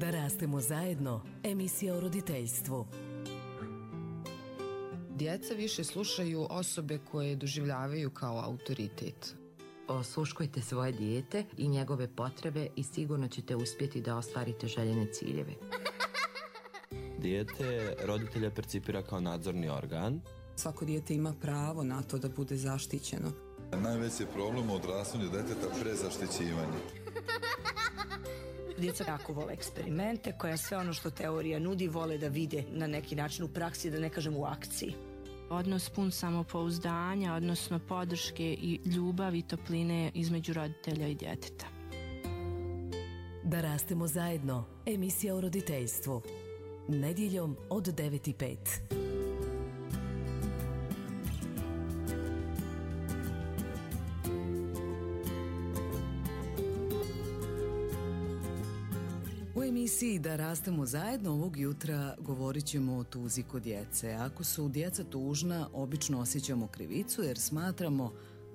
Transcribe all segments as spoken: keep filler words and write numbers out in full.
Da rastemo zajedno, emisija o roditeljstvu. Djeca više slušaju osobe koje doživljavaju kao autoritet. Osluškujte svoje dijete i njegove potrebe i sigurno ćete uspjeti da ostvarite željene ciljeve. Dijete roditelja percipira kao nadzorni organ. Svako dijete ima pravo na to da bude zaštićeno. Najveći problem u odrastanju djeteta prezaštićivanje. Djeca jako vole eksperimente, koja sve ono što teorija nudi vole da vide na neki način u praksi, da ne kažem u akciji. Odnos pun samopouzdanja, odnosno podrške i ljubavi i topline između roditelja i djeteta. Da rastemo zajedno, emisija o roditeljstvu. Nedjeljom od devet i pet. U emisiji Da rastemo zajedno ovog jutra govorit ćemo o tuzi kod djece. Ako su djeca tužna, obično osjećamo krivicu jer smatramo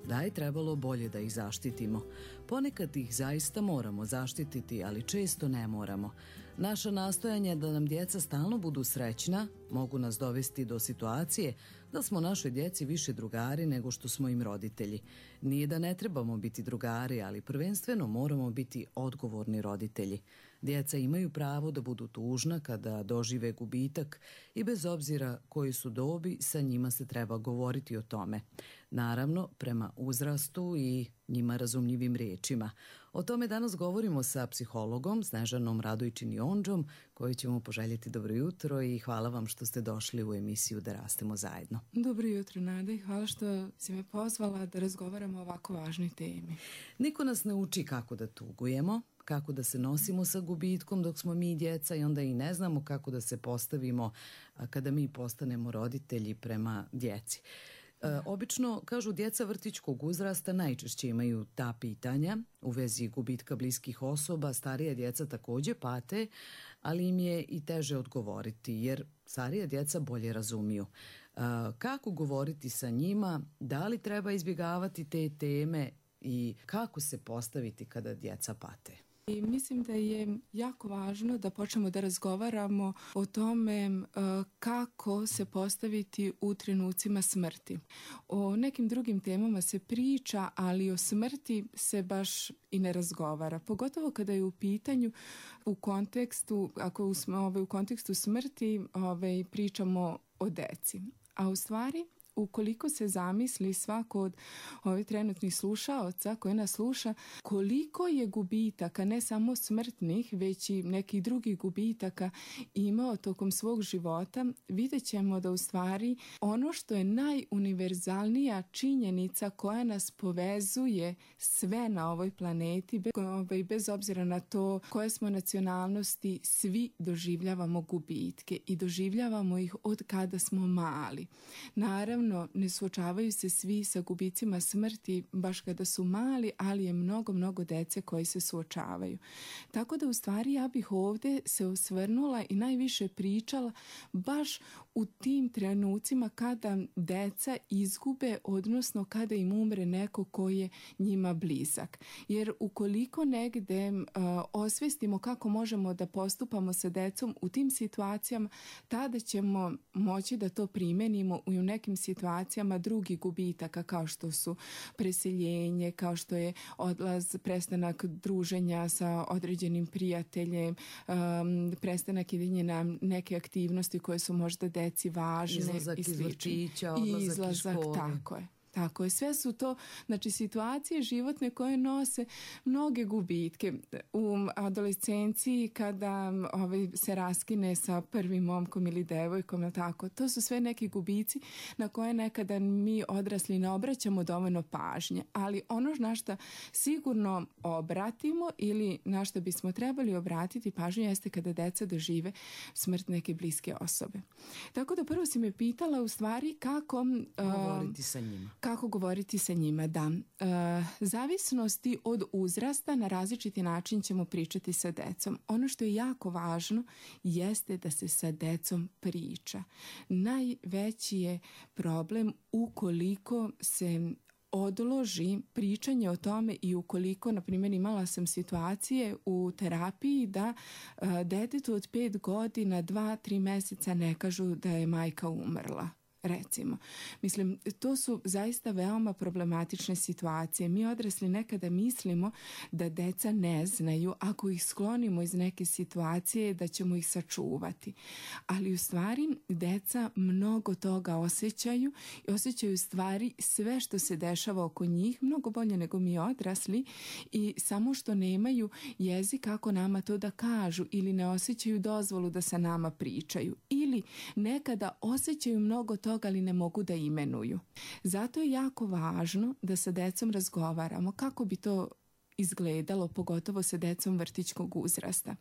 da je trebalo bolje da ih zaštitimo. Ponekad ih zaista moramo zaštititi, ali često ne moramo. Naša nastojanja da nam djeca stalno budu srećna mogu nas dovesti do situacije da smo našoj djeci više drugari nego što smo im roditelji. Nije da ne trebamo biti drugari, ali prvenstveno moramo biti odgovorni roditelji. Djeca imaju pravo da budu tužna kada dožive gubitak i bez obzira koji su dobi, sa njima se treba govoriti o tome. Naravno, prema uzrastu i njima razumljivim riječima. O tome danas govorimo sa psihologom Snežanom Radojčin-Jondžom, koju ćemo poželjeti dobro jutro i hvala vam što ste došli u emisiju Da rastemo zajedno. Dobro jutro, Nada, i hvala što si me pozvala da razgovaramo o ovako važnoj temi. Niko nas ne uči kako da tugujemo, kako da se nosimo sa gubitkom dok smo mi djeca i onda i ne znamo kako da se postavimo kada mi postanemo roditelji prema djeci. E, obično, kažu, djeca vrtićkog uzrasta najčešće imaju ta pitanja u vezi gubitka bliskih osoba. Starija djeca također pate, ali im je i teže odgovoriti jer starija djeca bolje razumiju. E, kako govoriti sa njima, da li treba izbjegavati te teme i kako se postaviti kada djeca pate? I mislim da je jako važno da počnemo da razgovaramo o tome uh, kako se postaviti u trenucima smrti. O nekim drugim temama se priča, ali o smrti se baš i ne razgovara. Pogotovo kada je u pitanju u kontekstu, ako smo ovaj, u kontekstu smrti ovaj, pričamo o deci. A u stvari, ukoliko se zamisli svako od ovih trenutnih slušaoca koji nas sluša, koliko je gubitaka, ne samo smrtnih, već i nekih drugih gubitaka imao tokom svog života, vidjet ćemo da u stvari ono što je najuniverzalnija činjenica koja nas povezuje sve na ovoj planeti, bez obzira na to koje smo nacionalnosti, svi doživljavamo gubitke i doživljavamo ih od kada smo mali. Naravno, ne suočavaju se svi sa gubicima smrti baš kada su mali, ali je mnogo, mnogo dece koji se suočavaju. Tako da u stvari ja bih ovdje se osvrnula i najviše pričala baš u tim trenucima kada deca izgube, odnosno kada im umre neko koji je njima blizak. Jer ukoliko negde uh, osvestimo kako možemo da postupamo sa decom u tim situacijama, tada ćemo moći da to primenimo u nekim situacijama situacijama drugih gubitaka kao što su preseljenje, kao što je odlaz, prestanak druženja sa određenim prijateljem, um, prestanak idejnje na neke aktivnosti koje su možda deci važne. Izlazak iz vrtića, odlazak izlazak, iz škole. Tako je. Tako je, sve su to, znači, situacije životne koje nose mnoge gubitke. U adolescenciji kada ovaj, se raskine sa prvim momkom ili devojkom, tako, to su sve neki gubici na koje nekada mi odrasli ne obraćamo dovoljno pažnje. Ali ono na što sigurno obratimo ili na što bismo trebali obratiti pažnju jeste kada deca dožive smrt neke bliske osobe. Tako da prvo si me pitala u stvari kako govoriti uh, sa njima. Kako govoriti sa njima, da. E, zavisnosti od uzrasta na različiti način ćemo pričati sa decom. Ono što je jako važno jeste da se sa decom priča. Najveći je problem ukoliko se odloži pričanje o tome i ukoliko, na primjer, imala sam situacije u terapiji da a, detetu od pet godina, dva, tri mjeseca ne kažu da je majka umrla. Recimo, mislim, to su zaista veoma problematične situacije. Mi odrasli nekada mislimo da deca ne znaju, ako ih sklonimo iz neke situacije, da ćemo ih sačuvati. Ali u stvari deca mnogo toga osjećaju i osjećaju stvari sve što se dešava oko njih mnogo bolje nego mi odrasli i samo što nemaju jezik kako nama to da kažu ili ne osjećaju dozvolu da sa nama pričaju ili nekada osjećaju mnogo toga ali ne mogu da imenuju. Zato je jako važno da sa decom razgovaramo kako bi to izgledalo, pogotovo sa decom vrtićkog uzrasta.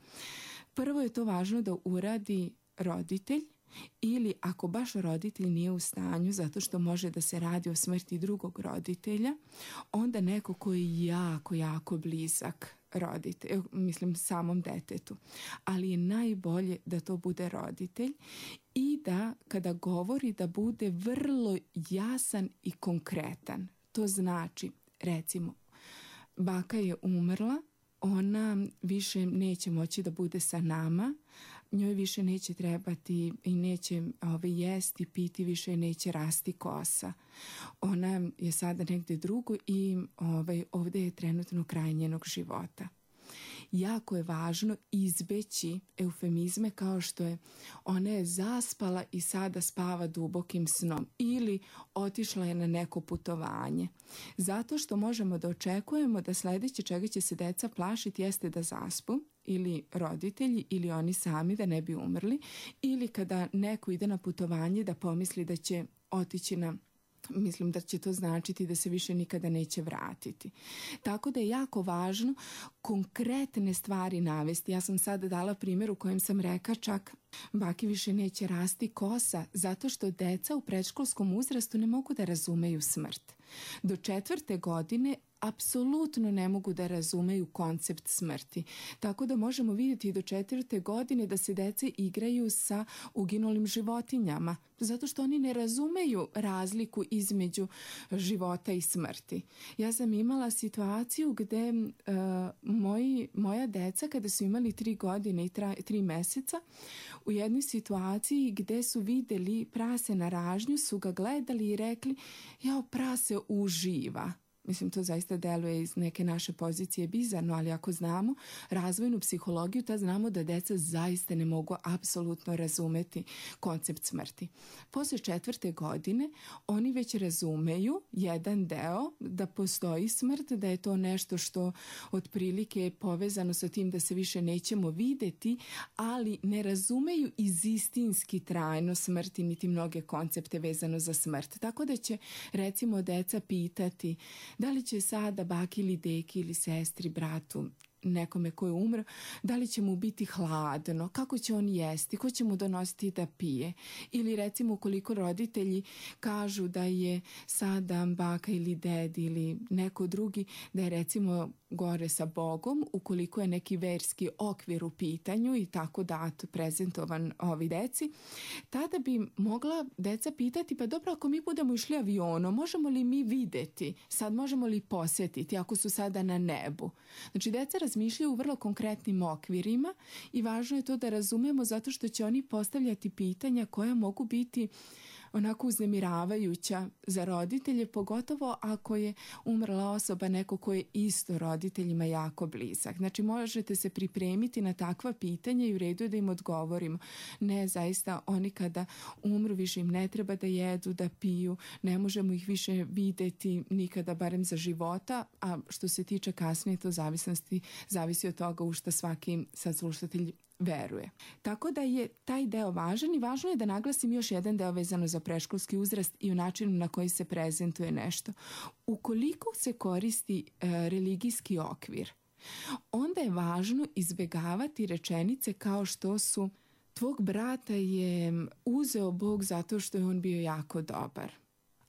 Prvo je to važno da uradi roditelj ili ako baš roditelj nije u stanju zato što može da se radi o smrti drugog roditelja, onda neko koji je jako, jako blizak roditelj, mislim samom detetu. Ali je najbolje da to bude roditelj i da kada govori da bude vrlo jasan i konkretan. To znači, recimo, baka je umrla, ona više neće moći da bude sa nama, njoj više neće trebati i neće ove, jesti, piti, više neće rasti kosa. Ona je sada negdje drugo i ove, ovdje je trenutno kraj njenog života. Jako je važno izbeći eufemizme kao što je ona je zaspala i sada spava dubokim snom ili otišla je na neko putovanje. Zato što možemo da očekujemo da sljedeće čega će se deca plašiti jeste da zaspu ili roditelji ili oni sami da ne bi umrli ili kada neko ide na putovanje da pomisli da će otići na mislim da će to značiti da se više nikada neće vratiti. Tako da je jako važno konkretne stvari navesti. Ja sam sada dala primjer u kojem sam rekla čak baki više neće rasti kosa zato što deca u predškolskom uzrastu ne mogu da razumeju smrt. Do četvrte godine apsolutno ne mogu da razumeju koncept smrti. Tako da možemo vidjeti do četvrte godine da se dece igraju sa uginulim životinjama, zato što oni ne razumeju razliku između života i smrti. Ja sam imala situaciju gde uh, moji, moja deca kada su imali tri godine i tra, tri meseca, u jednoj situaciji gde su vidjeli prase na ražnju, su ga gledali i rekli, jao, prase uživa. Mislim, to zaista deluje iz neke naše pozicije bizarno, ali ako znamo razvojnu psihologiju, tad znamo da deca zaista ne mogu apsolutno razumeti koncept smrti. Posle četvrte godine oni već razumeju jedan deo da postoji smrt, da je to nešto što otprilike je povezano sa tim da se više nećemo videti, ali ne razumeju izistinski trajno smrti niti mnoge koncepte vezano za smrt. Tako da će, recimo, deca pitati da li će sada baki ili deki ili sestri, bratu, nekome ko je umro, da li će mu biti hladno, kako će on jesti, ko će mu donositi da pije. Ili recimo ukoliko roditelji kažu da je sada baka ili ded ili neko drugi, da je recimo gore sa Bogom, ukoliko je neki verski okvir u pitanju i tako dato prezentovan ovi deci, tada bi mogla deca pitati, pa dobro, ako mi budemo išli avionom, možemo li mi videti, sad možemo li posjetiti ako su sada na nebu. Znači, deca razmišljaju u vrlo konkretnim okvirima i važno je to da razumemo zato što će oni postavljati pitanja koja mogu biti onako uznemiravajuća za roditelje, pogotovo ako je umrla osoba neko ko je isto roditeljima jako blizak. Znači, možete se pripremiti na takva pitanja i u redu je da im odgovorimo. Ne, zaista, oni kada umru više im ne treba da jedu, da piju, ne možemo ih više videti nikada, barem za života, a što se tiče kasnije, to zavisnosti, zavisi od toga u što svaki saslušatelj veruje. Tako da je taj deo važan i važno je da naglasim još jedan deo vezano za predškolski uzrast i u načinu na koji se prezentuje nešto. Ukoliko se koristi e, religijski okvir, onda je važno izbjegavati rečenice kao što su tvog brata je uzeo Bog zato što je on bio jako dobar.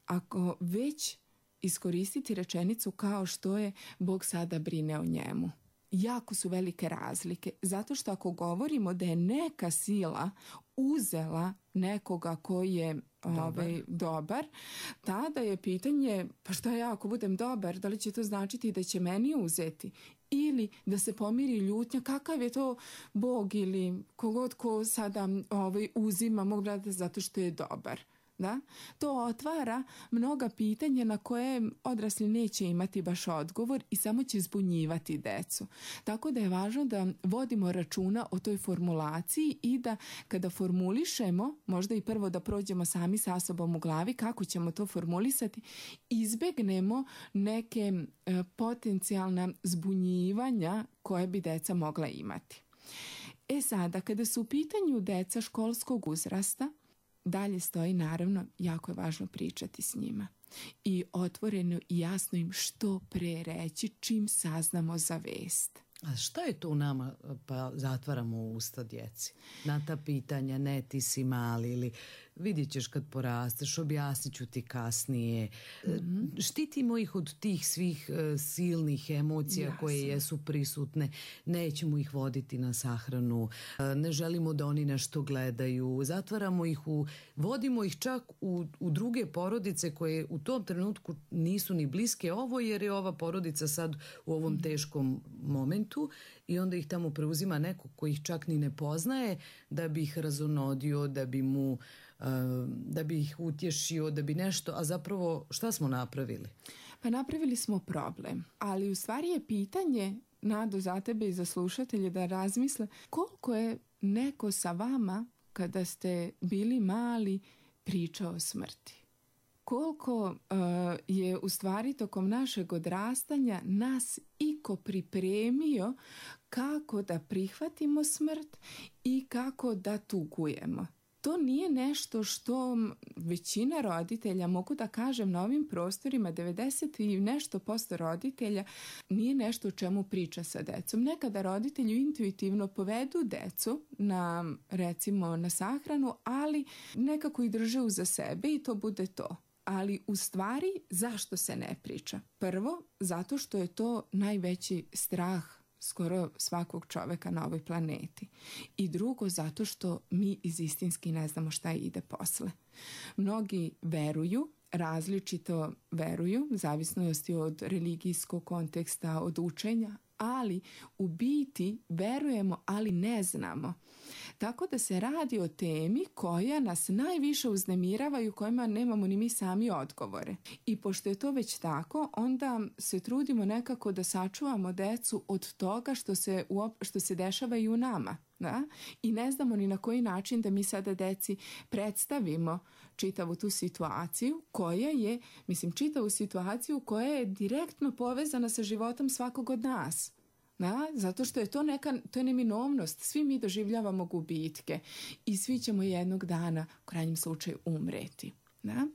Ako već iskoristiti rečenicu kao što je Bog sada brine o njemu. Jako su velike razlike, zato što ako govorimo da je neka sila uzela nekoga koji je dobar. Ovaj, dobar, tada je pitanje, pa šta ja ako budem dobar, da li će to značiti da će meni uzeti? Ili da se pomiri ljutnja, kakav je to Bog ili kogod ko sada ovaj, uzima, mogu gledati zato što je dobar. Da? To otvara mnoga pitanja na koje odrasli neće imati baš odgovor i samo će zbunjivati decu. Tako da je važno da vodimo računa o toj formulaciji i da kada formulišemo, možda i prvo da prođemo sami sa sobom u glavi kako ćemo to formulisati, izbegnemo neke e, potencijalna zbunjivanja koje bi deca mogla imati. E sada, kada su u pitanju deca školskog uzrasta, dalje stoji, naravno, jako je važno pričati s njima i otvoreno i jasno im što pre reći čim saznamo za vest. A šta je to u nama pa zatvaramo usta djeci? Na ta pitanja, ne ti si mali ili vidjet ćeš kad porasteš, objasnit ću ti kasnije. Mm-hmm. Štitimo ih od tih svih uh, silnih emocija Jasne. Koje jesu prisutne. Nećemo ih voditi na sahranu, uh, ne želimo da oni nešto gledaju. Zatvaramo ih u, vodimo ih čak u, u druge porodice koje u tom trenutku nisu ni bliske ovo jer je ova porodica sad u ovom mm-hmm. teškom momentu i onda ih tamo preuzima neko koji ih čak ni ne poznaje da bi ih razonodio, da bi mu da bi ih utješio, da bi nešto, a zapravo šta smo napravili? Pa napravili smo problem, ali u stvari je pitanje, Nado, za tebe i za slušatelje da razmisle koliko je neko sa vama kada ste bili mali pričao o smrti. Koliko uh, je u stvari tokom našeg odrastanja nas iko pripremio kako da prihvatimo smrt i kako da tugujemo. To nije nešto što većina roditelja, mogu da kažem na ovim prostorima, devedeset i nešto posto roditelja, nije nešto o čemu priča sa decom. Nekada roditelju intuitivno povedu decu na, recimo, na sahranu, ali nekako ih drže uza sebe i to bude to. Ali u stvari zašto se ne priča? Prvo, zato što je to najveći strah skoro svakog čoveka na ovoj planeti. I drugo, zato što mi iz istinski ne znamo šta ide posle. Mnogi veruju, različito veruju, zavisnosti od religijskog konteksta, od učenja, ali u biti verujemo, ali ne znamo. Tako da se radi o temi koja nas najviše uznemirava i u kojima nemamo ni mi sami odgovore. I pošto je to već tako, onda se trudimo nekako da sačuvamo decu od toga što se, što se dešava i u nama. Da? I ne znamo ni na koji način da mi sada deci predstavimo čitavu tu situaciju koja je, mislim, čitavu situaciju koja je direktno povezana sa životom svakog od nas. Da? Zato što je to neka, to je neminovnost. Svi mi doživljavamo gubitke i svi ćemo jednog dana u krajnjem slučaju umreti. Da?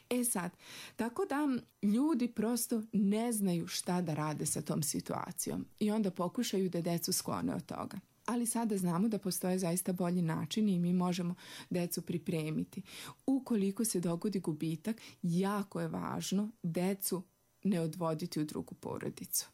E sad, tako da ljudi prosto ne znaju šta da rade sa tom situacijom i onda pokušaju da decu sklone od toga. Ali sada znamo da postoje zaista bolji načini i mi možemo decu pripremiti. Ukoliko se dogodi gubitak, jako je važno decu ne odvoditi u drugu porodicu.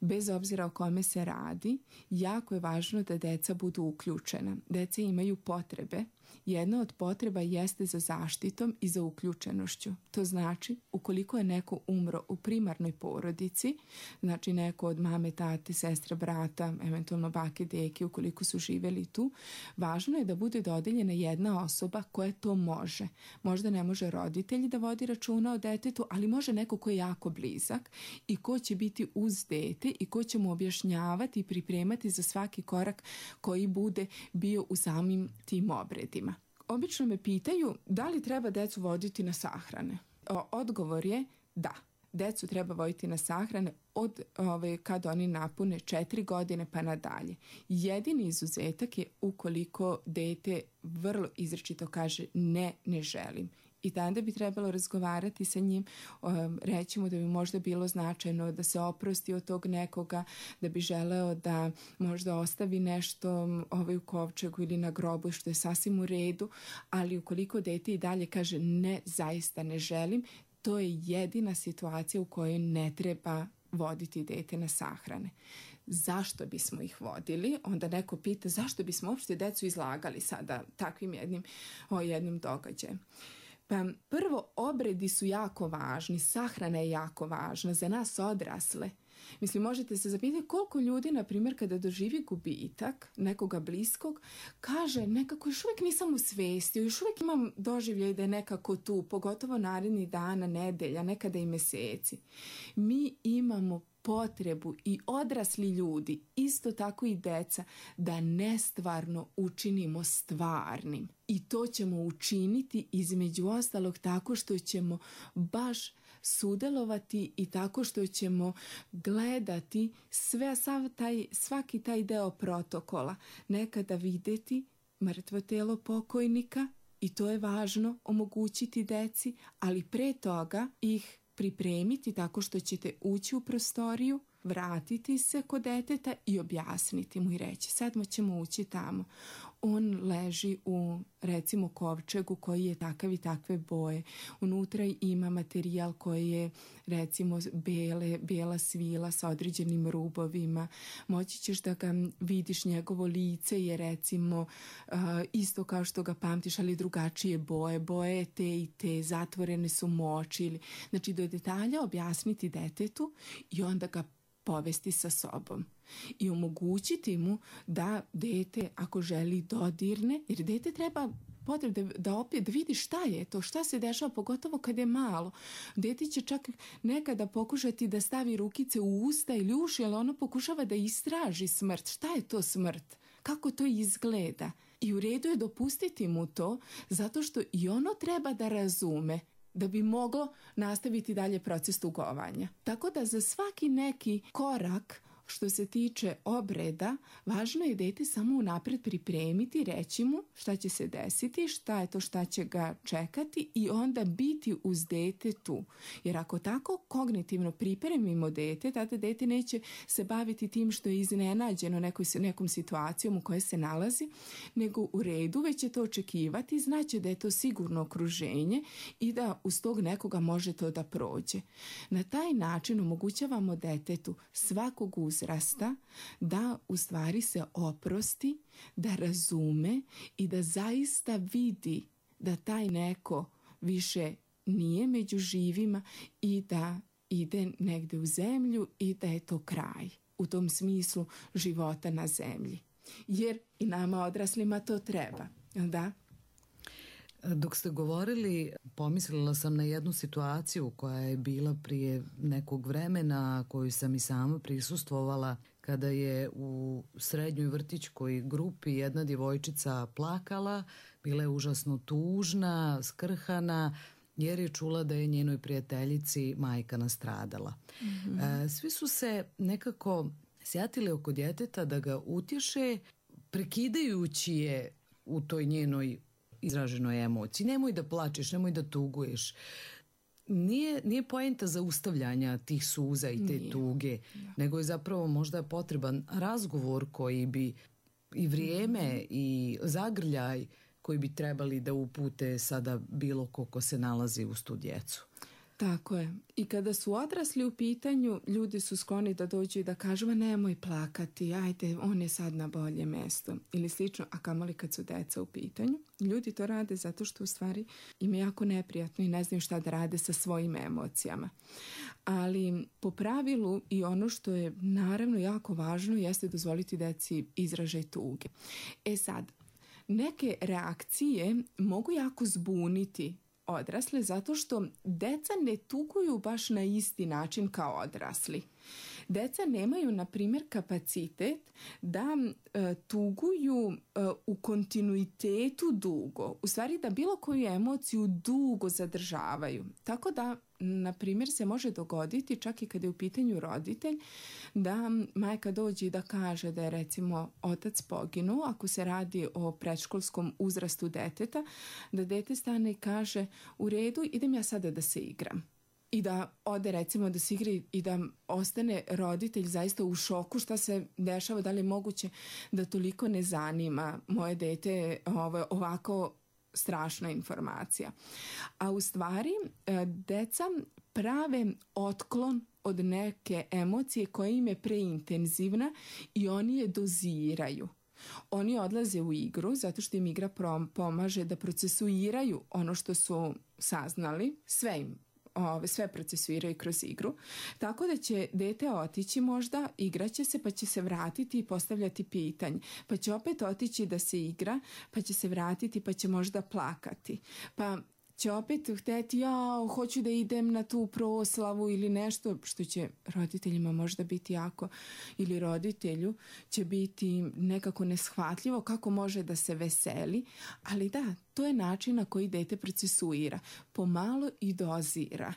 Bez obzira o kome se radi, jako je važno da deca budu uključena. Deca imaju potrebe. Jedna od potreba jeste za zaštitom i za uključenošću. To znači, ukoliko je neko umro u primarnoj porodici, znači neko od mame, tate, sestra, brata, eventualno bake, deke, ukoliko su živeli tu, važno je da bude dodeljena jedna osoba koja to može. Možda ne može roditelj da vodi računa o detetu, ali može neko ko je jako blizak i ko će biti uz dete i ko će mu objašnjavati i pripremati za svaki korak koji bude bio u samim tim obredima. Obično me pitaju da li treba decu voditi na sahrane. O, odgovor je da. Decu treba voditi na sahrane od ove, kad oni napune četiri godine pa nadalje. Jedini izuzetak je ukoliko dete vrlo izričito kaže ne, ne želim. I tada bi trebalo razgovarati sa njim, um, reći mu da bi možda bilo značajno da se oprosti od tog nekoga, da bi želeo da možda ostavi nešto ovaj, u kovčegu ili na grobu, što je sasvim u redu, ali ukoliko dete i dalje kaže ne, zaista ne želim, to je jedina situacija u kojoj ne treba voditi dete na sahrane. Zašto bismo ih vodili? Onda neko pita zašto bismo uopšte decu izlagali sada takvim jednim, o jednim događajem. Pa prvo, obredi su jako važni, sahrana je jako važna za nas odrasle. Mislim, možete se zapitati koliko ljudi, na primjer, kada doživi gubitak nekoga bliskog, kaže nekako još uvijek nisam u svesti, još uvijek imam doživljaj da je nekako tu, pogotovo narednih dana, nedelja, nekada i meseci. Mi imamo potrebu i odrasli ljudi, isto tako i deca, da nestvarno učinimo stvarnim. I to ćemo učiniti između ostalog tako što ćemo baš sudjelovati i tako što ćemo gledati sve, sav taj, svaki taj deo protokola. Nekada vidjeti mrtvo telo pokojnika i to je važno omogućiti deci, ali pre toga ih pripremiti tako što ćete ući u prostoriju, vratiti se kod deteta i objasniti mu i reći sad ćemo ući tamo. On leži u, recimo, kovčegu koji je takav i takve boje. Unutra ima materijal koji je, recimo, bele, bijela svila sa određenim rubovima. Moći ćeš da ga vidiš, njegovo lice je, recimo, uh, isto kao što ga pamtiš, ali drugačije boje. Boje te i te, zatvorene su moči. Znači, do detalja objasniti detetu i onda ga povesti sa sobom i omogućiti mu da dete, ako želi, dodirne, jer dete treba potrebno da, da opet vidi šta je to, šta se dešava, pogotovo kad je malo. Dete će čak nekada pokušati da stavi rukice u usta ili uši, ali ono pokušava da istraži smrt. Šta je to smrt? Kako to izgleda? I u redu je dopustiti mu to, zato što i ono treba da razume da bi moglo nastaviti dalje proces tugovanja. Tako da za svaki neki korak što se tiče obreda, važno je dete samo unapred pripremiti, reći mu šta će se desiti, šta je to šta će ga čekati i onda biti uz dete tu. Jer ako tako kognitivno pripremimo dete, tada dete neće se baviti tim što je iznenađeno nekoj, nekom situacijom u kojoj se nalazi, nego u redu već će to očekivati, znaće da je to sigurno okruženje i da uz tog nekoga može to da prođe. Na taj način omogućavamo detetu svakog uzrasta da u stvari se oprosti, da razume i da zaista vidi da taj neko više nije među živima i da ide negde u zemlju i da je to kraj u tom smislu života na zemlji. Jer i nama odraslima to treba, da? Dok ste govorili, pomislila sam na jednu situaciju koja je bila prije nekog vremena, koju sam i sama prisustvovala, kada je u srednjoj vrtićkoj grupi jedna djevojčica plakala, bila je užasno tužna, skrhana, jer je čula da je njenoj prijateljici majka nastradala. Mm-hmm. E, svi su se nekako sjatili oko djeteta da ga utješe, prekidajući je u toj njenoj izraženoj emociji. Nemoj da plačeš, nemoj da tuguješ. Nije, nije poenta zaustavljanja tih suza i te nije. tuge, da. Nego je zapravo možda potreban razgovor koji bi i vrijeme mm-hmm. i zagrljaj koji bi trebali da upute sada bilo ko ko se nalazi uz tu djecu. Tako je. I kada su odrasli u pitanju, ljudi su skloni da dođu i da kažu, ma nemoj plakati, ajde, on je sad na bolje mesto. Ili slično, a kamoli kad su deca u pitanju. Ljudi to rade zato što u stvari im je jako neprijatno i ne znaju šta da rade sa svojim emocijama. Ali po pravilu i ono što je naravno jako važno jeste dozvoliti deci izražaj tuge. E sad, neke reakcije mogu jako zbuniti odrasle zato što deca ne tuguju baš na isti način kao odrasli. Deca nemaju, na primjer, kapacitet da e, tuguju e, u kontinuitetu dugo. U stvari da bilo koju emociju dugo zadržavaju. Tako da, na primjer, se može dogoditi, čak i kada je u pitanju roditelj, da majka dođe i da kaže da je, recimo, otac poginuo, ako se radi o predškolskom uzrastu deteta, da dete stane i kaže, u redu, idem ja sada da se igram. I da ode, recimo, da se igri i da ostane roditelj zaista u šoku šta se dešava, da li je moguće da toliko ne zanima moje dete ovo, ovako strašna informacija. A u stvari deca prave otklon od neke emocije koja im je preintenzivna i oni je doziraju. Oni odlaze u igru zato što im igra pomaže da procesuiraju ono što su saznali, sve im Ove, sve procesuiraju kroz igru, tako da će dete otići možda, igraće se pa će se vratiti i postavljati pitanje, pa će opet otići da se igra, pa će se vratiti pa će možda plakati, pa će opet hteti, ja hoću da idem na tu proslavu ili nešto što će roditeljima možda biti jako, ili roditelju će biti nekako neshvatljivo kako može da se veseli, ali da, to je način na koji dete procesuira, pomalo i dozira.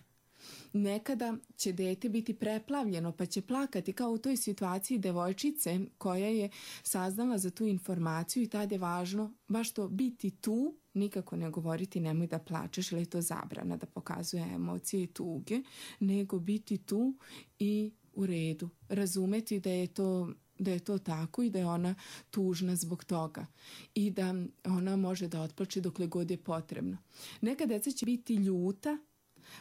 Nekada će dete biti preplavljeno pa će plakati kao u toj situaciji devojčice koja je saznala za tu informaciju i tada je važno baš to biti tu, nikako ne govoriti nemoj da plačeš ili je to zabrana da pokazuje emocije i tuge, nego biti tu i u redu, razumeti da je to da je to tako i da je ona tužna zbog toga i da ona može da otplače dokle god je potrebno. Neka deca će biti ljuta,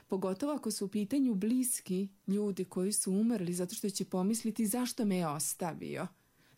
pogotovo ako su u pitanju bliski ljudi koji su umrli, zato što će pomisliti zašto me je ostavio,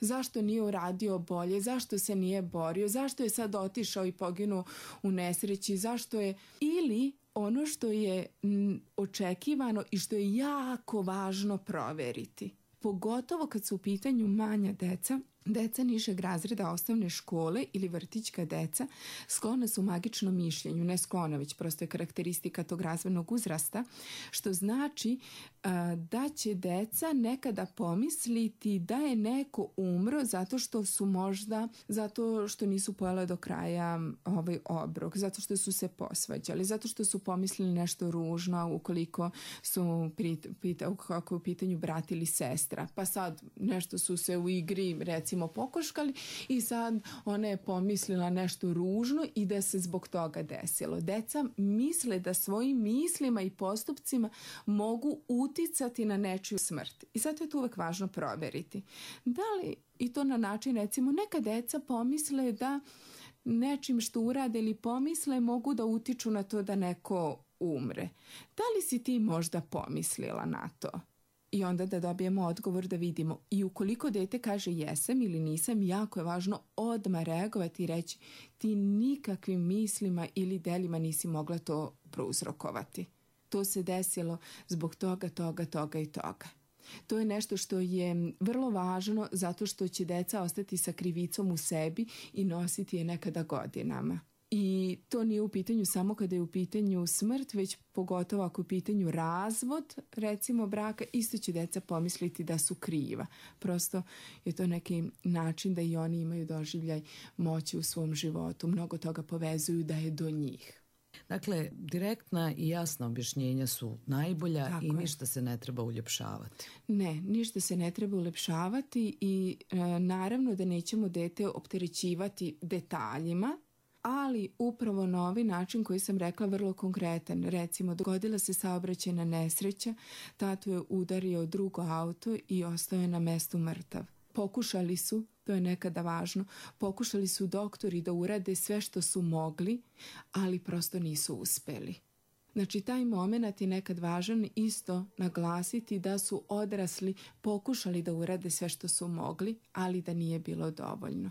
zašto nije uradio bolje, zašto se nije borio, zašto je sad otišao i poginuo u nesreći, zašto je, ili ono što je m, očekivano i što je jako važno proveriti. Pogotovo kad su u pitanju manja deca, deca nižeg razreda osnovne škole ili vrtićka deca sklona su magičnom mišljenju, ne sklona, već prosto je karakteristika tog razvojnog uzrasta, što znači a, da će deca nekada pomisliti da je neko umro zato što su možda, zato što nisu pojela do kraja ovaj obrok, zato što su se posvađali, zato što su pomislili nešto ružno ukoliko su prit, pita, kako je u pitanju brat ili sestra, pa sad nešto su se u igri recimo pokoškali i sad ona je pomislila nešto ružno i da se zbog toga desilo. Deca misle da svojim mislima i postupcima mogu uticati na nečiju smrt. I zato je to uvek važno proveriti. Da li, i to na način, recimo, neka deca pomisle da nečim što urade ili pomisle mogu da utiču na to da neko umre. Da li si ti možda pomislila na to? I onda da dobijemo odgovor da vidimo. I ukoliko dete kaže jesam ili nisam, jako je važno odmah reagovati i reći ti nikakvim mislima ili delima nisi mogla to prouzrokovati. To se desilo zbog toga, toga, toga i toga. To je nešto što je vrlo važno zato što će deca ostati sa krivicom u sebi i nositi je nekada godinama. I to nije u pitanju samo kada je u pitanju smrt, već pogotovo ako je u pitanju razvod, recimo braka, isto će deca pomisliti da su kriva. Prosto je to neki način da i oni imaju doživljaj moći u svom životu. Mnogo toga povezuju da je do njih. Dakle, direktna i jasna objašnjenja su najbolja. Tako i ništa je. Se ne treba uljepšavati. Ne, ništa se ne treba uljepšavati i e, naravno da nećemo dete opterećivati detaljima, ali upravo na ovaj način koji sam rekla vrlo konkretan. Recimo, dogodila se saobraćajna nesreća, tatu je udario drugo auto i ostao je na mestu mrtav. Pokušali su, to je nekada važno, pokušali su doktori da urade sve što su mogli, ali prosto nisu uspeli. Znači, taj moment je nekad važan isto naglasiti da su odrasli pokušali da urade sve što su mogli, ali da nije bilo dovoljno.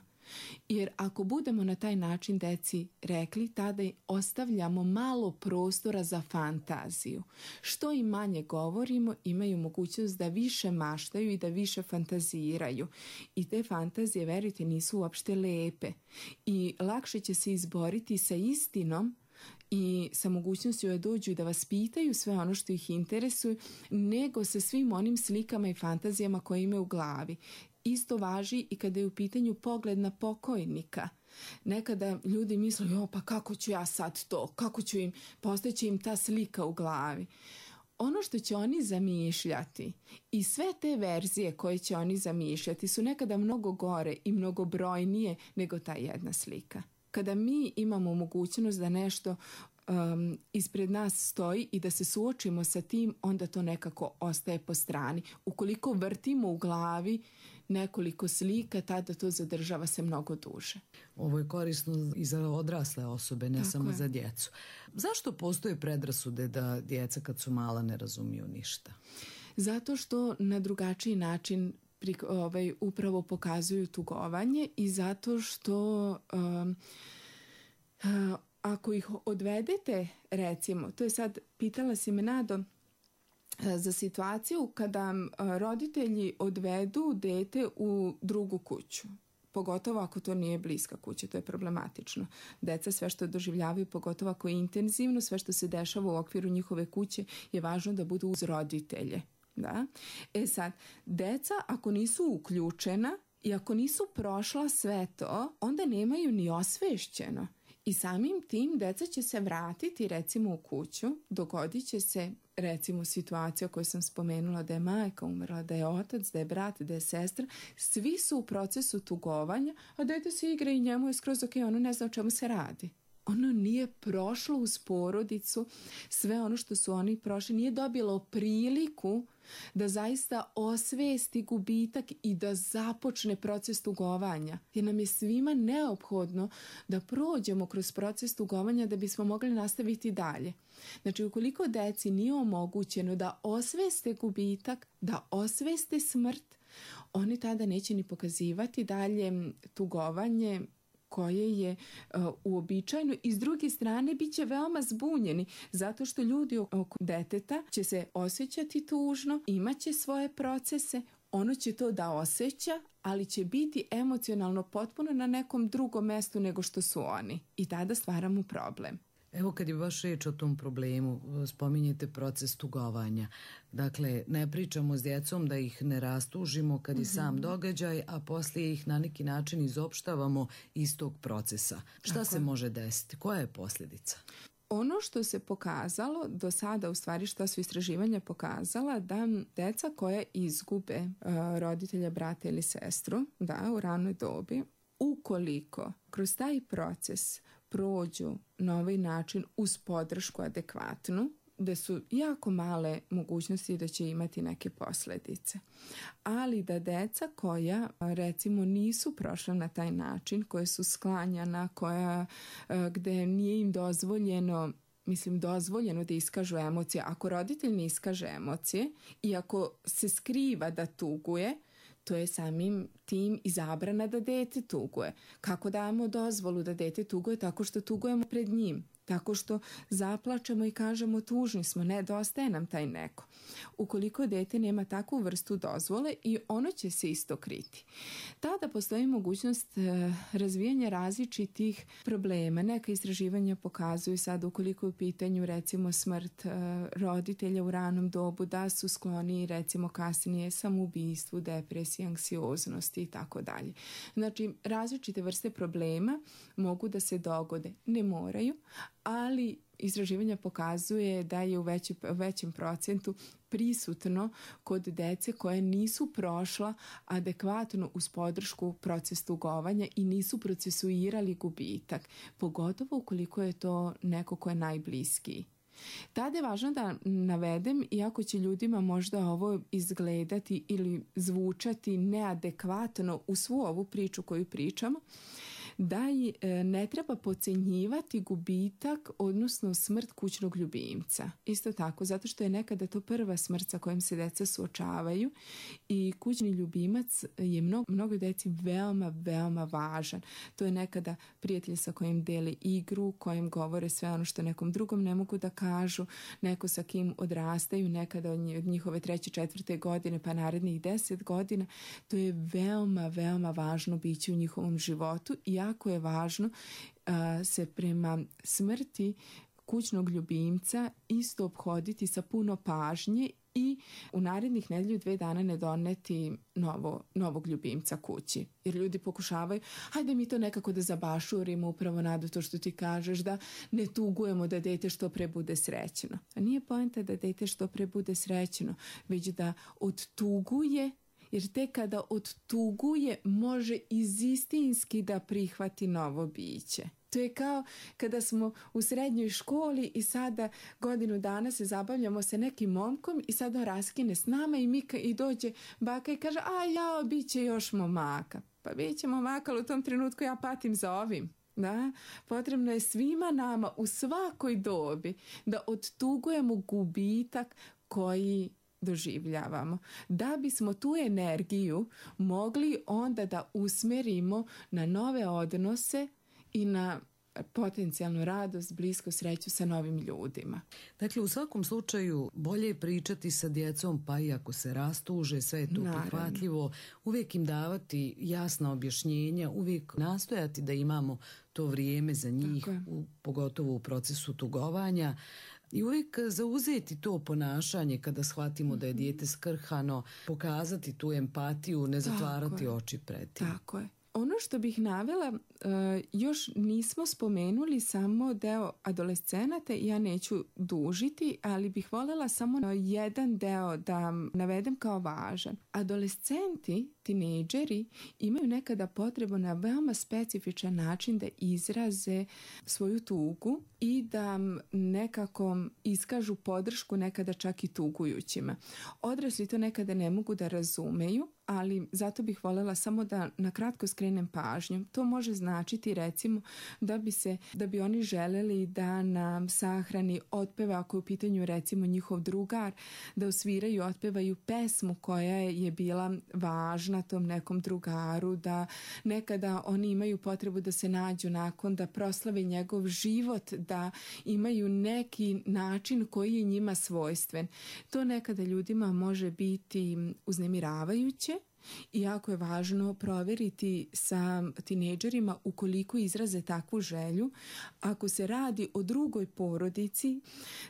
Jer ako budemo na taj način deci rekli, tada ostavljamo malo prostora za fantaziju. Što im manje govorimo, imaju mogućnost da više maštaju i da više fantaziraju. I te fantazije, verujte, nisu uopšte lepe. I lakše će se izboriti sa istinom i sa mogućnošću da dođu i da vas pitaju sve ono što ih interesuje, nego sa svim onim slikama i fantazijama koje imaju u glavi. Isto važi i kada je u pitanju pogled na pokojnika. Nekada ljudi misle, jo, pa kako ću ja sad to, kako ću im, postaće im ta slika u glavi. Ono što će oni zamišljati i sve te verzije koje će oni zamišljati su nekada mnogo gore i mnogo brojnije nego ta jedna slika. Kada mi imamo mogućnost da nešto um, ispred nas stoji i da se suočimo sa tim, onda to nekako ostaje po strani. Ukoliko vrtimo u glavi nekoliko slika, tada to zadržava se mnogo duže. Ovo je korisno i za odrasle osobe, ne Tako samo je. za djecu. Zašto postoje predrasude da djeca kad su mala ne razumiju ništa? zato što na drugačiji način pri, ovaj, upravo pokazuju tugovanje i zato što um, uh, ako ih odvedete, recimo, to je sad, pitala si me Nado, za situaciju kada roditelji odvedu dete u drugu kuću, pogotovo ako to nije bliska kuća, to je problematično. Deca sve što doživljavaju, pogotovo ako je intenzivno, sve što se dešava u okviru njihove kuće je važno da budu uz roditelje. Da? E sad, deca ako nisu uključena i ako nisu prošla sve to, onda nemaju ni osvešćeno. I samim tim deca će se vratiti recimo u kuću, dogodit će se recimo situacija koju sam spomenula da je majka umrla, da je otac, da je brat, da je sestra, svi su u procesu tugovanja, a dete se igra i njemu je skroz ok, ono ne zna o čemu se radi. Ono nije prošlo uz porodicu sve ono što su oni prošli, nije dobilo priliku da zaista osvesti gubitak i da započne proces tugovanja. Jer nam je svima neophodno da prođemo kroz proces tugovanja da bismo mogli nastaviti dalje. Znači, ukoliko deci nije omogućeno da osveste gubitak, da osveste smrt, oni tada neće ni pokazivati dalje tugovanje koje je uh, uobičajeno i s druge strane bit će veoma zbunjeni zato što ljudi oko deteta će se osjećati tužno, imaće svoje procese, ono će to da osjeća, ali će biti emocionalno potpuno na nekom drugom mestu nego što su oni i tada stvaramo problem. Evo kad je baš reč o tom problemu, spominjete proces tugovanja. Dakle, ne pričamo s djecom da ih ne rastužimo kad je mm-hmm. sam događaj, a poslije ih na neki način izopštavamo iz tog procesa. Šta Tako. se može desiti? Koja je posljedica? Ono što se pokazalo do sada, u stvari što su istraživanja pokazala, da deca koja izgube uh, roditelja, brata ili sestru, da, u ranoj dobi, ukoliko kroz taj proces prođu na ovaj način uz podršku adekvatnu, da su jako male mogućnosti da će imati neke posljedice. Ali da deca koja recimo nisu prošla na taj način, koje su sklanjana, koja gde nije im dozvoljeno mislim dozvoljeno da iskažu emocije. Ako roditelj ne iskaže emocije i ako se skriva da tuguje, to je samim tim i zabrana da dete tuguje. Kako damo dozvolu da dete tuguje? Tako što tugujemo pred njim. Tako što zaplačemo i kažemo tužni smo, nedostaje nam taj neko. Ukoliko dete nema takvu vrstu dozvole i ono će se isto kriti. Tada postoji mogućnost razvijanja različitih problema. Neka istraživanja pokazuju sad ukoliko je u pitanju recimo smrt roditelja u ranom dobu da su skloni recimo kasnije samoubistvu, depresiji, anksioznosti i tako dalje. Znači različite vrste problema mogu da se dogode. Ne moraju, ali istraživanja pokazuje da je u veći, većem procentu prisutno kod dece koje nisu prošla adekvatno uz podršku proces tugovanja i nisu procesuirali gubitak, pogotovo ukoliko je to neko ko je najbliskiji. Tada je važno da navedem, iako će ljudima možda ovo izgledati ili zvučati neadekvatno u svu ovu priču koju pričamo, da ne treba podcenjivati gubitak, odnosno smrt kućnog ljubimca. Isto tako, zato što je nekada to prva smrt sa kojom se deca suočavaju i kućni ljubimac je mnogo, mnogo deci veoma, veoma važan. To je nekada prijatelj sa kojim dele igru, kojim govore sve ono što nekom drugom ne mogu da kažu, neko sa kim odrastaju, nekada od njihove treće, četvrte godine pa narednih deset godina. To je veoma, veoma važno biće u njihovom životu i jako je važno uh, se prema smrti kućnog ljubimca isto ophoditi sa puno pažnje i u narednih nedelju dve dana ne doneti novo, novog ljubimca kući. Jer ljudi pokušavaju, hajde mi to nekako da zabašurimo, upravo Nado to što ti kažeš, da ne tugujemo da dete što pre bude srećno. A nije poenta da dete što pre bude srećno, već da odtuguje, jer tek kada odtuguje može izistinski da prihvati novo biće. To je kao kada smo u srednjoj školi i sada godinu dana se zabavljamo sa nekim momkom i sada on raskine s nama i, mi, i dođe baka i kaže, a jao, bit će još momaka. Pa bit će momaka, ali u tom trenutku ja patim za ovim. Da? Potrebno je svima nama u svakoj dobi da odtugujemo gubitak koji doživljavamo, da bismo tu energiju mogli onda da usmerimo na nove odnose i na potencijalnu radost, blisku sreću sa novim ljudima. Dakle, u svakom slučaju bolje je pričati sa djecom, pa i ako se rastuže, sve je to Naravno. prihvatljivo, uvijek im davati jasna objašnjenja, uvijek nastojati da imamo to vrijeme za njih, u, pogotovo u procesu tugovanja, i uvijek zauzeti to ponašanje kada shvatimo da je dijete skrhano, pokazati tu empatiju, ne zatvarati oči pred tim. Tako je. Ono što bih navela, uh, još nismo spomenuli samo deo adolescenata, ja neću dužiti, ali bih voljela samo jedan deo da navedem kao važan. Adolescenti, tinejdžeri, imaju nekada potrebu na veoma specifičan način da izraze svoju tugu i da nekako iskažu podršku, nekada čak i tugujućima. Odrasli to nekada ne mogu da razumeju, ali zato bih voljela samo da na kratko skrenem pažnju. To može značiti recimo da bi se, da bi oni želeli da na sahrani otpeva, ako je u pitanju recimo njihov drugar, da osviraju, otpevaju pesmu koja je bila važna tom nekom drugaru, da nekada oni imaju potrebu da se nađu nakon, da proslave njegov život, da imaju neki način koji je njima svojstven. To nekada ljudima može biti uznemiravajuće, i jako je važno provjeriti sa tinejdžerima ukoliko izraze takvu želju. Ako se radi o drugoj porodici,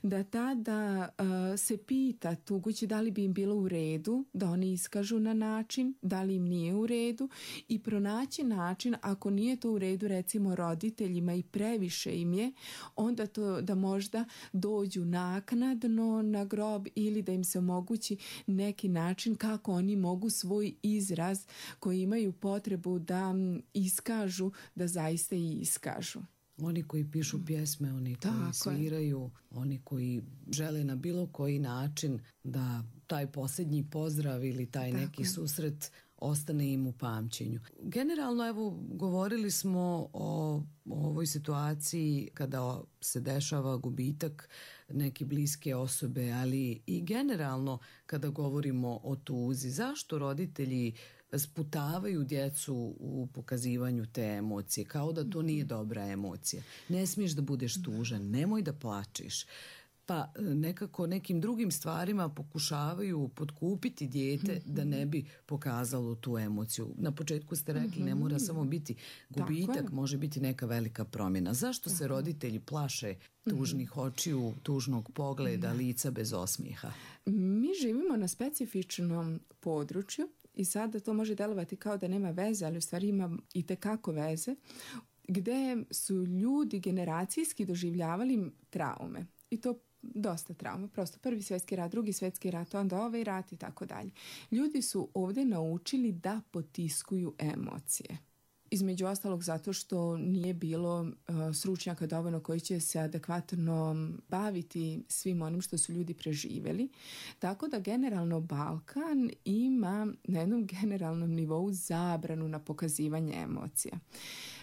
da tada uh, se pita tugući da li bi im bilo u redu da oni iskažu na način, da li im nije u redu, i pronaći način, ako nije to u redu recimo roditeljima i previše im je, onda to da možda dođu naknadno na grob ili da im se omogući neki način kako oni mogu svoj izraz koji imaju potrebu da iskažu, da zaista i iskažu. Oni koji pišu pjesme, oni koji Tako sviraju, je. Oni koji žele na bilo koji način da taj posljednji pozdrav ili taj Tako neki je. susret ostane im u pamćenju. Generalno, evo, govorili smo o, o ovoj situaciji kada se dešava gubitak neke bliske osobe, ali i generalno kada govorimo o tuzi. Zašto roditelji sputavaju djecu u pokazivanju te emocije, kao da to nije dobra emocija? Ne smiješ da budeš tužan, nemoj da plačeš. Pa nekako nekim drugim stvarima pokušavaju potkupiti dijete da ne bi pokazalo tu emociju. Na početku ste rekli, ne mora samo biti gubitak, može biti neka velika promjena. Zašto se roditelji plaše tužnih očiju, tužnog pogleda, lica bez osmijeha? Mi živimo na specifičnom području i sada to može delovati kao da nema veze, ali u stvari ima i tekako veze, gde su ljudi generacijski doživljavali traume. I to dosta trauma, prosto prvi svjetski rat, drugi svjetski rat, onda ovaj rat i tako dalje. Ljudi su ovdje naučili da potiskuju emocije. Između ostalog zato što nije bilo uh, stručnjaka dovoljno koji će se adekvatno baviti svim onim što su ljudi preživjeli. Tako da generalno Balkan ima na jednom generalnom nivou zabranu na pokazivanje emocija.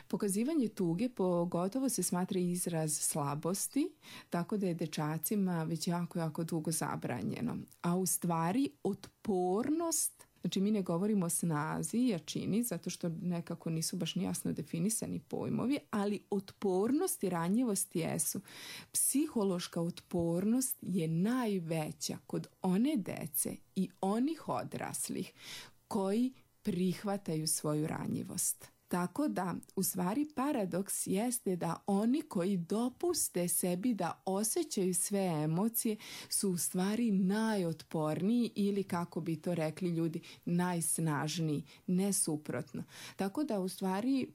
Pokazivanje tuge pogotovo se smatra izraz slabosti, tako da je dečacima već jako, jako dugo zabranjeno. A u stvari otpornost, znači mi ne govorimo o snazi i jačini, zato što nekako nisu baš ni jasno definisani pojmovi, ali otpornost i ranjivost jesu. Psihološka otpornost je najveća kod one dece i onih odraslih koji prihvataju svoju ranjivost. Tako da, u stvari, paradoks jeste da oni koji dopuste sebi da osjećaju sve emocije su u stvari najotporniji ili, kako bi to rekli ljudi, najsnažniji, ne suprotno. Tako da, u stvari,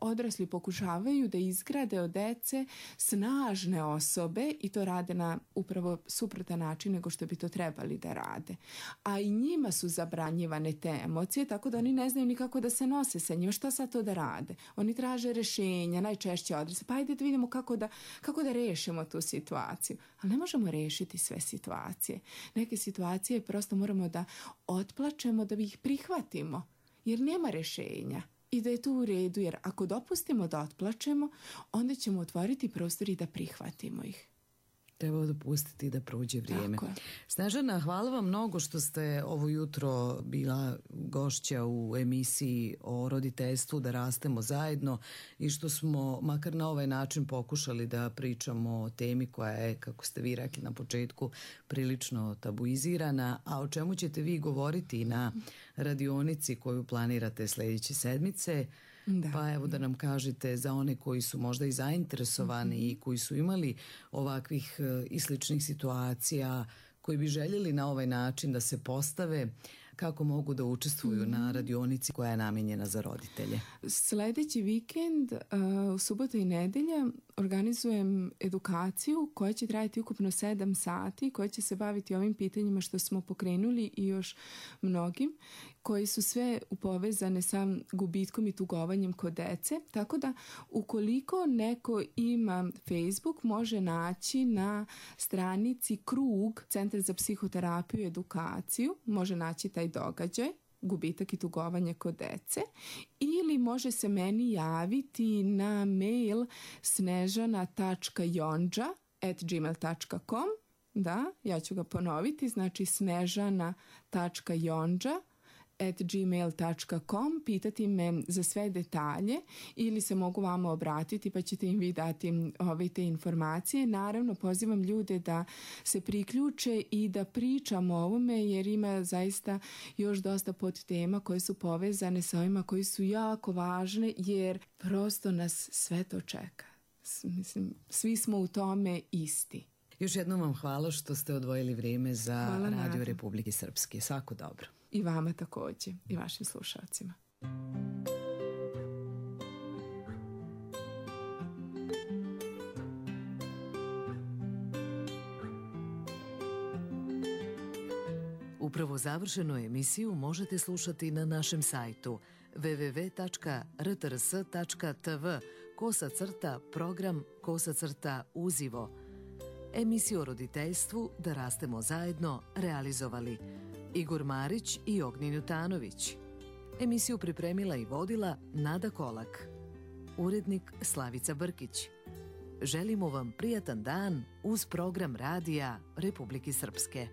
odrasli pokušavaju da izgrade od dece snažne osobe i to rade na upravo suprotan način nego što bi to trebali da rade. A i njima su zabranjivane te emocije, tako da oni ne znaju nikako da se nose sa njima. Šta sad to da rade? Oni traže rješenja, najčešće adrese. Pa ajde da vidimo kako da, kako da rešimo tu situaciju. Ali ne možemo rešiti sve situacije. Neke situacije prosto moramo da otplačemo da bi ih prihvatimo. Jer nema rješenja. I da je to u redu. Jer ako dopustimo da otplačemo, onda ćemo otvoriti prostor i da prihvatimo ih. Treba dopustiti da prođe vrijeme. Tako je. Snežana, hvala vam mnogo što ste ovo jutro bila gošća u emisiji o roditeljstvu Da rastemo zajedno i što smo makar na ovaj način pokušali da pričamo o temi koja je, kako ste vi rekli na početku, prilično tabuizirana, a o čemu ćete vi govoriti na radionici koju planirate sljedeće sedmice. Da. Pa evo da nam kažete za one koji su možda i zainteresovani mm-hmm. i koji su imali ovakvih e, i sličnih situacija, koji bi željeli na ovaj način da se postave, kako mogu da učestvuju mm-hmm. na radionici koja je namijenjena za roditelje. Sljedeći vikend, uh, u subotu i nedelja, organizujem edukaciju koja će trajati ukupno sedam sati, koja će se baviti ovim pitanjima što smo pokrenuli i još mnogim, koji su sve povezane sa gubitkom i tugovanjem kod dece. Tako da, ukoliko neko ima Facebook, može naći na stranici Krug, Centar za psihoterapiju i edukaciju, može naći taj događaj, gubitak i tugovanje kod dece, ili može se meni javiti na mail snežana tačka jonđa at gmail tačka com. Da, ja ću ga ponoviti, znači snežana tačka jonđa at gmail tačka com, pitati me za sve detalje ili se mogu vama obratiti pa ćete im vi dati ove te informacije. Naravno, pozivam ljude da se priključe i da pričamo o ovome, jer ima zaista još dosta podtema koje su povezane sa ovima koji su jako važne, jer prosto nas sve to čeka. Mislim, svi smo u tome isti. Još jednom vam hvala što ste odvojili vrijeme za Hvala, Radio Nada. Republike Srpske. Svako dobro. I vama također, i vašim slušalcima. Upravo završenu emisiju možete slušati na našem sajtu w w w tačka r t r s tačka t v kosa crta program kosa crta uzivo. Emisiju o roditeljstvu Da rastemo zajedno realizovali Igor Marić i Ognjen Jutanović. Emisiju pripremila i vodila Nada Kolak. Urednik Slavica Brkić. Želimo vam prijatan dan uz program Radija Republike Srpske.